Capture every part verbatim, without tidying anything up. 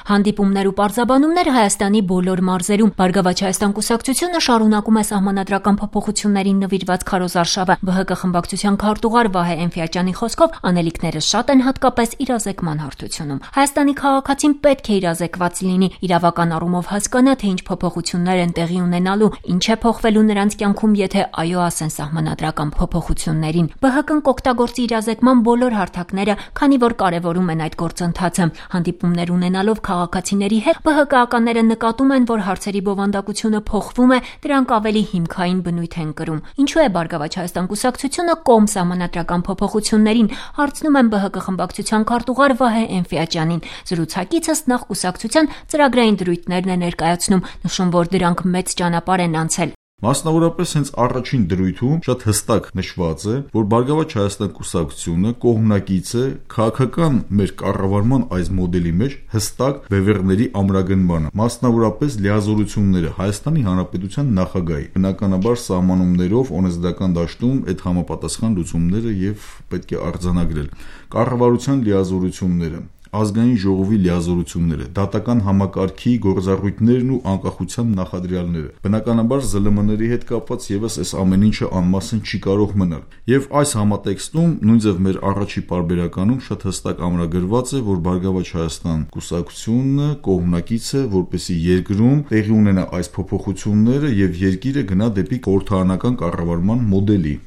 Հանդիպումներ ու պարզաբանումներ Հայաստանի բոլոր մարզերում։ Բարգավաճ Հայաստան կուսակցությունը շարունակում է սահմանադրական փոփոխություններին նվիրված քարոզարշավը։ Բ Հ Կ խմբակցության քարտուղար Վահե Էնֆիաջյանի խոսքով անելիքները շատ են, հատկապես իրազեկման հարթությունում։ Հայաստանի քաղաքացին պետք է իրազեկված լինի, իրավական առումով հասկանա, թե ինչ փոփոխություններ են տեղի ունենալու, ինչ է փոխվելու նրանց կյանքում, եթե այո ասեն սահմանադրական փոփոխություններին։ Բ Հ Կն կօգտագործի իրազեկման բոլոր հարթակները, քանի որ կարևորում են այդ գործընթացը։ Հանդիպումներ ունենալով քաղաքացիների հետ Բ Հ Կ-ականները նկատում են, որ հարցերի բովանդակությունը փոխվում է, դրանք ավելի հիմքային բնույթ են կրում։ Ինչու է Բարգավաճ Հայաստան կուսակցությունը կողմ սահմանադրական փոփոխություններին, հարցնում են Բ Հ Կ խմբակցության քարտուղար Վահե Էնֆիաջյանին։ Զրուցակիցս նախ կուսակցության ծրագրային դրույթներն է ներկայացնում, նշում, որ դրանք մեծ ճանապարհ են անցել։ Մասնավորապես հենց առաջին դրույթում շատ հստակ նշված է, որ Բարգավաճ Հայաստան կուսակցությունը կողմնակից է քաղաքական մեր կառավարման այս մոդելի մեջ հստակ բևեռների ամրագնմանը, մասնավորապես լիազորությունները Հայաստանի Հանրապետության նախագահի, բնականաբար սահմանումներով օրենսդրական դաշտում այդ համապատասխան լուծումները եւ պետք է արձանագրել, կառավարության լիազորությունները, ազգային ժողովի լիազորությունները, դատական համակարգի գործառույթներն ու անկախության նախադրյալները։ Բնականաբար Զ Լ Մ-ների հետ կապված եւս այս ամեն ինչը անմասն չի կարող մնալ։ Եվ այս համատեքստում նույնիսկ մեր առաջի պարբերականում շատ հստակ ամրագրված է, որ Բարգավաճ Հայաստան կուսակցությունը կողմնակից է, որպեսզի երկրում տեղի ունենա այս փոփոխությունները եւ երկիրը գնա դեպի խորհրդարանական կառավարման մոդելի։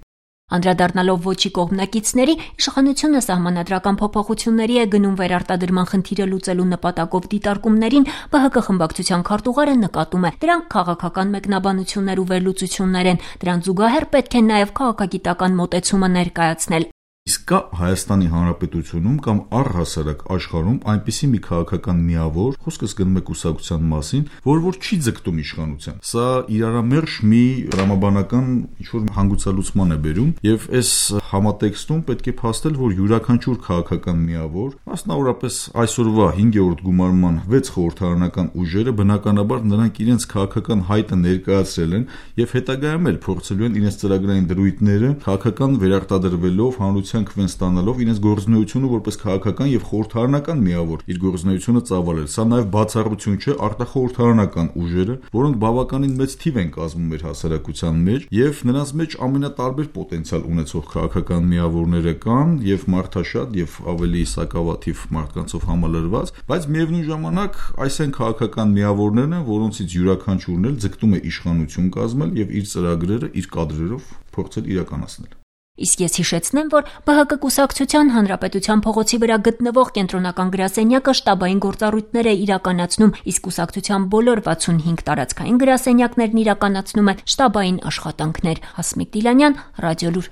Անդրադառնալով ոչի կողմնակիցների, իշխանությունը սահմանադրական փոփոխությունների է գնում վերարտադրման խնդիրը լուծելու նպատակով դիտարկումներին, Բ Հ Կ խմբակցության քարտուղարը նկատում է, դրանք քաղաքական մեկնաբանություններ ու վերլուծություններ են, դրան զուգահեռ պետք է նաև քաղաքագիտական մոտեցումը ներկայացնել։ Իսկ կա Հայաստանի Հանրապետությունում կամ առհասարակ աշխարհում այնպիսի մի քաղաքական միավոր, խոսքս գնում է կուսակցության մասին, որ որ չի ձգտում իշխանության։ Սա իրարամերժ մի ռամաբանական ինչ-որ հանգուցալուծման է բերում, եւ այս համատեքստում պետք է փաստել, որ յուրաքանչյուր քաղաքական միավոր, մասնավորապես այսօրվա հինգերորդ գումարման վեց խորհրդարանական ուժերը բնականաբար նրանք իրենց քաղաքական հայտը ներկայացրել են եւ հետագայում էլ փորձելու են իրենց ծրագրային դրույթները քաղաքական վերարտադրվելով հանրության քվեն ստանալով իրենց գործունեությունը որպես քաղաքական եւ խորհրդարանական միավոր իր գործունեությունը ծավալել։ Սա նաեւ բացառություն չէ արտախորհրդարանական ուժերը, որոնք բավականին մեծ թիվ են կազմում մեր հասարակության մեջ եւ նրանց մեջ ամենատարբեր պոտենցիալ ունեցող քաղաքական միավորները կան եւ մարդաշատ եւ ավելի սակավաթիվ մարդկանցով համալրված, բայց միևնույն ժամանակ այս են քաղաքական միավորներն են, որոնցից յուրաքանչյուրն էլ ձգտում է իշխանություն կազմել եւ իր ծրագրերը իր կադրերով փորձել իրականացնել։ Իսկ ես հիշեցնեմ, որ Բ Հ Կ կուսակցության Հանրապետության փողոցի վրա գտնվող կենտրոնական գրասենյակը շտաբային գործառույթներ է իրականացնում, իսկ կուսակցության բոլոր վաթսունհինգ տարածքային գրասենյակներն իրականացնում են շտաբային աշխատանքներ։ Հասմիկ Դիլանյան, Ռադիոլուր։